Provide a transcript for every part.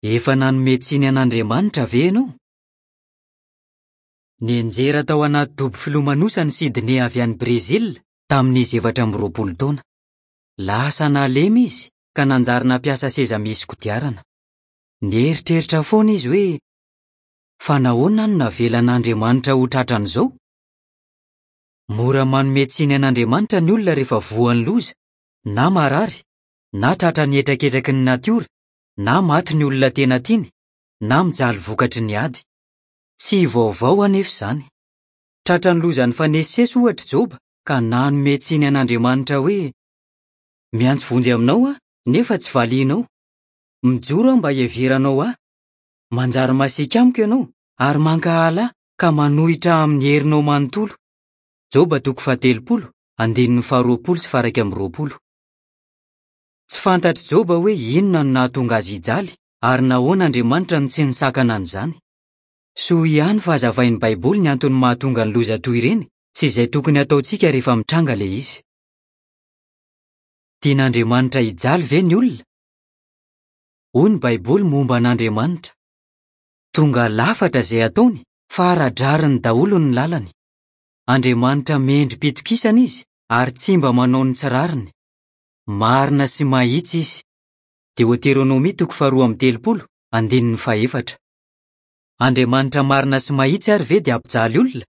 Efa nanome tsiny an'Andriamanitra ve ianao? Nianjera tao anaty dobo filomanosana i Sidney avy any Brezila tamin'izy 24 taona. Lasa nalemy izy ka nanjary nampiasa seza misy kodiarana. Nieritreritra foana izy hoe, 'Fa nahoana no navelan'Andriamanitra ho tratran'izao? Mora manome tsiny an'Andriamanitra ny olona rehefa voan'ny loza, na marary, na tratran'ny hetraketraky ny natiora, na maty ny olona tena tiany, na mijaly vokatry ny ady. Tsy vaovao anefa izany. Tratran'ny loza nifanesisesy ohatra i Joba ka nanome tsiny an'Andriamanitra hoe, Miantso vonjy aminao aho, nefa tsy valianao. Mijoro aho mba hiheveranao ahy. Manjary masiaka amiko ianao ary mankahala ahy ka manohitra ahy amin'ny herinao manontolo. Joba toko faha-30, andininy faha-20 sy faha-21. Tsy fantatr'i Joba hoe inona no nahatonga azy hijaly ary nahoana Andriamanitra no tsy nisakana an'izany. Soa ihany fa hazavain'ny Baiboly ny antony mahatonga ny loza toy ireny sy izay tokony hataontsika rehefa mitranga ilay izy. Tian'Andriamanitra hijaly ve ny olona? Hoy ny Baiboly momba an'Andriamanitra, Tonga lafatra izay ataony, fa ara-drariny daholo ny lalany. Andriamanitra mendri-pitokisana izy ary tsy mba manao ny tsy rariny. Marina sy mahitsy izy. Deoteronomia toko faharoa amby telopolo, andininy fahefatra. Andriamanitra marina sy mahitsy ary ve dia hampijaly olona?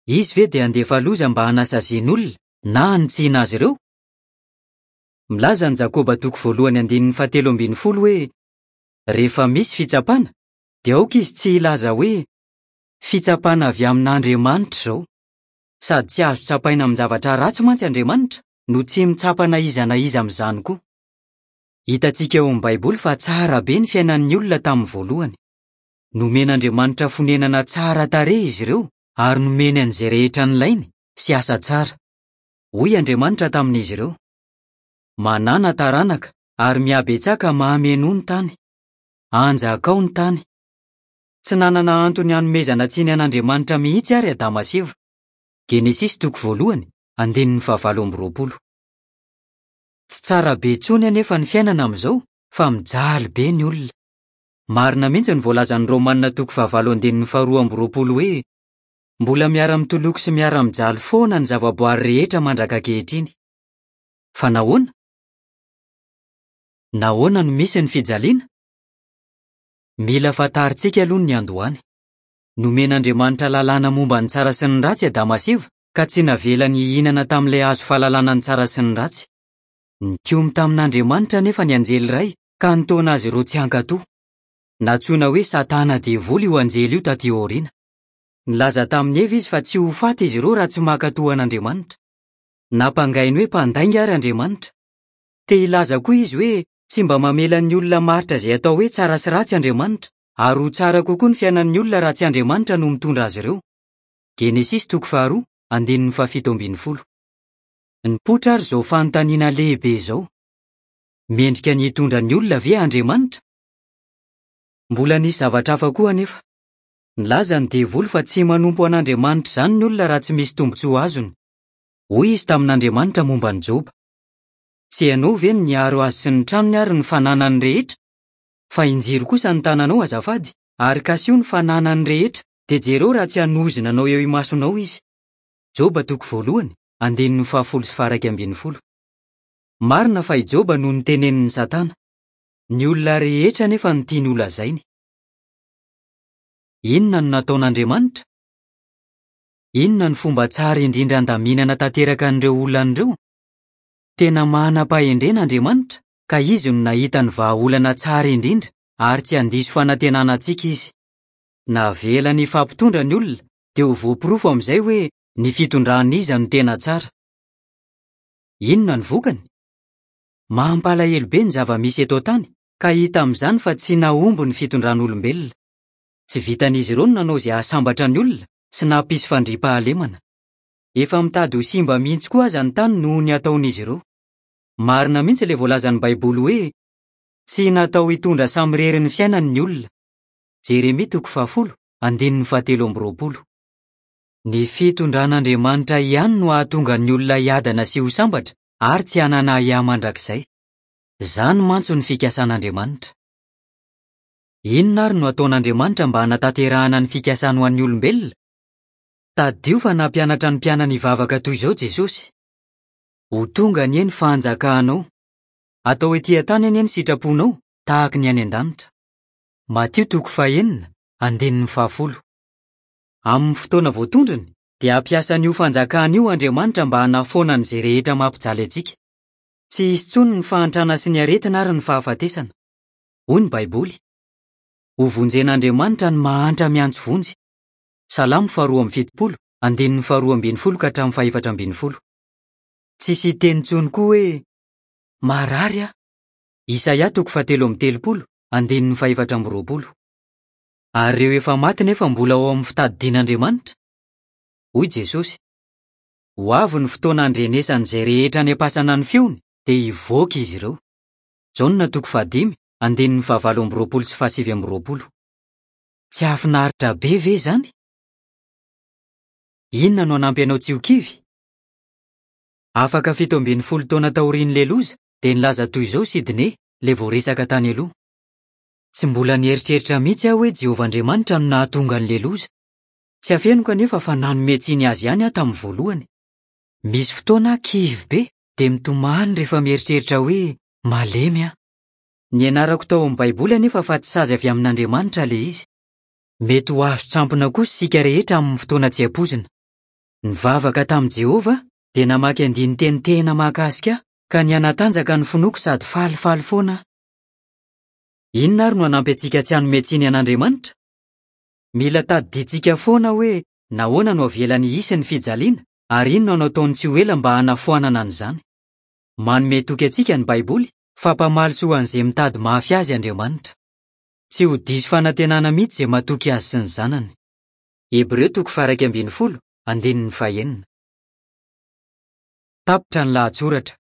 Izy ve dia handefa loza mba hanasaziana olona na hanitsiana azy ireo? Milaza ny Jakoba toko voalohany andininy fahatelo ambin'ny folo hoe, Rehefa misy fitsapana, dia aoka izy tsy hilaza hoe, 'Fitsapana avy amin'Andriamanitra izao. Sady tsy azo tsapaina amin-javatra ratsy mantsy Andriamanitra, no tsy mitsapa na iza na iza amin'izany koa. Hitantsika ao amin'ny Baiboly fa tsara be ny fiainan'ny olona tamin'ny voalohany. Nomen'Andriamanitra fonenana tsara tarehy izy ireo ary nomeny an'izay rehetra nilainy sy asa tsara. Hoy Andriamanitra tamin'izy ireo, Manàna taranaka ary mihabetsaka mahamenoa ny tany. Anjakao ny tany. Tsy nanana antony hanomezana tsiny an'Andriamanitra mihitsy àry Adama sy Eva. Genesisy toko voalohany, andininy fahavalo amby roapolo. Tsy tsara be intsony anefa ny fiainana amin'izao fa mijaly be ny olona. Marina mihitsy ny voalazan'ny Romanina toko fahavalo andininy faharoa amby roapolo hoe, Mbola miara-mitoloko sy miara-mijaly foana ny zavaboary rehetra mandraka ankehitriny. Fa nahoana? Nahoana no misy ny fijaliana? Mila fantarintsika aloha ny niandohany. Nomen'Andriamanitra lalàna momba ny tsara sy ny ratsy Adama sy Eva, ka tsy navelany hihinana tamin'ilay hazo fahalalana ny tsara sy ny ratsy. Nikomy tamin'Andriamanitra anefa ny anjely iray ka nitaona azy ireo tsy hankatò. Nantsoina hoe Satana Devoly io anjely io tatỳ aoriana. Nilaza tamin'i Eva izy fa tsy ho faty izy ireo raha tsy mankatò an'Andriamanitra. Nampangainy hoe mpandainga àry Andriamanitra. Te hilaza koa izy hoe tsy mba mamela ny olona hamaritra izay atao hoe tsara sy ratsy Andriamanitra, ary ho tsara kokoa ny fiainan'ny olona raha tsy Andriamanitra no mitondra azy ireo. Genesisy toko faharoa, andininy fahafito ambin'ny folo. Nipoitra àry izao fanontaniana lehibe izao, Mendrika ny hitondra ny olona ve Andriamanitra? Mbola nisy zavatra hafa koa anefa. Nilaza ny Devoly fa tsy manompo an'Andriamanitra izany ny olona raha tsy misy tombontsoa azony. Hoy izy tamin'Andriamanitra momba an'i Joba, Tsy ianao ve no niaro azy sy ny tranony ary ny fananany rehetra? Fa injiro kosa ny tananao azafady, ary kasiho ny fananany rehetra, dia jereo raha tsy hanozona anao eo imasonao izy. Joba toko voalohany, andininy fahafolo sy faha-iraika ambin'ny folo. Marina fa i Joba no notenenin'i Satana. Ny olona rehetra anefa no tiany holazainy. Inona no nataon'Andriamanitra? Inona no fomba tsara indrindra handaminana tanteraka an'ireo olana ireo? Tena manam-pahendrena Andriamanitra ka izy no nahita ny vahaolana tsara indrindra ary tsy handiso fanantenana antsika izy. Navelany hifampitondra ny olona dia ho voaporofo amin'izay hoe ny fitondran'iza no tena tsara. Inona no vokany? Mampalahelo be ny zava-misy eto an-tany ka hita amin'izany fa tsy nahomby ny fitondran'olombelona. Tsy vitan'izy ireo ny nanao izay hahasambatra ny olona sy nampisy fandriampahalemana. Efa mitady ho simba mihitsy koa aza ny tany noho ny ataon'izy ireo. Marina mihitsy ilay voalazan'ny Baiboly hoe, Tsy natao hitondra samirery ny fiainany ny olona. Jeremia toko fahafolo, andininy fahatelo amby roapolo. Ny fitondran'Andriamanitra ihany no hahatonga ny olona hiadana sy ho sambatra ary tsy hanana ahiahy mandrakizay. Izany mantsy no fikasan'Andriamanitra. Inona àry no hataon'Andriamanitra mba hanatanterahana ny fikasany ho an'ny olombelona? Tadidio fa nampianatra ny mpianany hivavaka toy izao Jesosy, Ho tonga anie ny fanjakanao. Atao etỳ an-tany anie ny sitraponao, tahaka ny any an-danitra. Matio toko fahenina, andininy fahafolo. Amin'ny fotoana voatondrony, dia hampiasa an'io Fanjakana io Andriamanitra mba hanafoana an'izay rehetra mampijaly antsika. Tsy hisy intsony ny fahantrana sy ny aretina ary ny fahafatesana. Hoy ny Baiboly, Hovonjen'Andriamanitra ny mahantra miantso vonjy. Salamo faharoa amby fitopolo, andininy faharoa ambin'ny folo ka hatramin'ny fahefatra ambin'ny folo. Tsy hisy hiteny intsony koa hoe, Marary aho. Isaia toko fahatelo amby telopolo, andininy fahefatra amby roapolo. Ary ireo efa maty nefa mbola ao amin'ny fitadidian'Andriamanitra? Hoy Jesosy, Ho avy ny fotoana handrenesan'izay rehetra any am-pasana ny feony, dia hivoaka izy ireo. Jaona toko fahadimy, andininy fahavalo amby roapolo sy fahasivy amby roapolo. Tsy hahafinaritra be ve izany? Inona no hanampy anao tsy ho kivy? Afaka 17 taona taorian'ilay loza, dia nilaza toy izao Sidney, ilay voaresaka tany aloha, Tsy mbola nieritreritra mihitsy aho hoe Jehovah Andriamanitra no nahatonga an'ilay loza. Tsy afeniko anefa fa nanome tsiny azy ihany aho tamin'ny voalohany. Misy fotoana aho kivy be dia mitomany rehefa mieritreritra hoe malemy aho. Nianarako tao amin'ny Baiboly anefa fa tsy sazy avy amin'Andriamanitra ilay izy. Mety ho azon-tsampona kosa isika rehetra amin'ny fotoana tsy ampoizina. Nivavaka tamin'i Jehovah aho, dia namaky andinin-teny tena mahakasika ahy, ka nihanatanjaka ny finoako sady falifaly foana aho. Inona àry no hanampy antsika tsy hanome tsiny an'Andriamanitra? Mila tadidintsika foana hoe nahoana no avelany hisy ny fijaliana ary inona no ataony tsy ho ela mba hanafoanana an'izany. Manome toky antsika ny Baiboly fa mpamaly soa an'izay mitady mafy azy Andriamanitra. Tsy ho diso fanantenana mihitsy izay matoky azy sy ny Zanany. Hebreo toko faha-11, andininy fahenina. Tapitra ny lahatsoratra.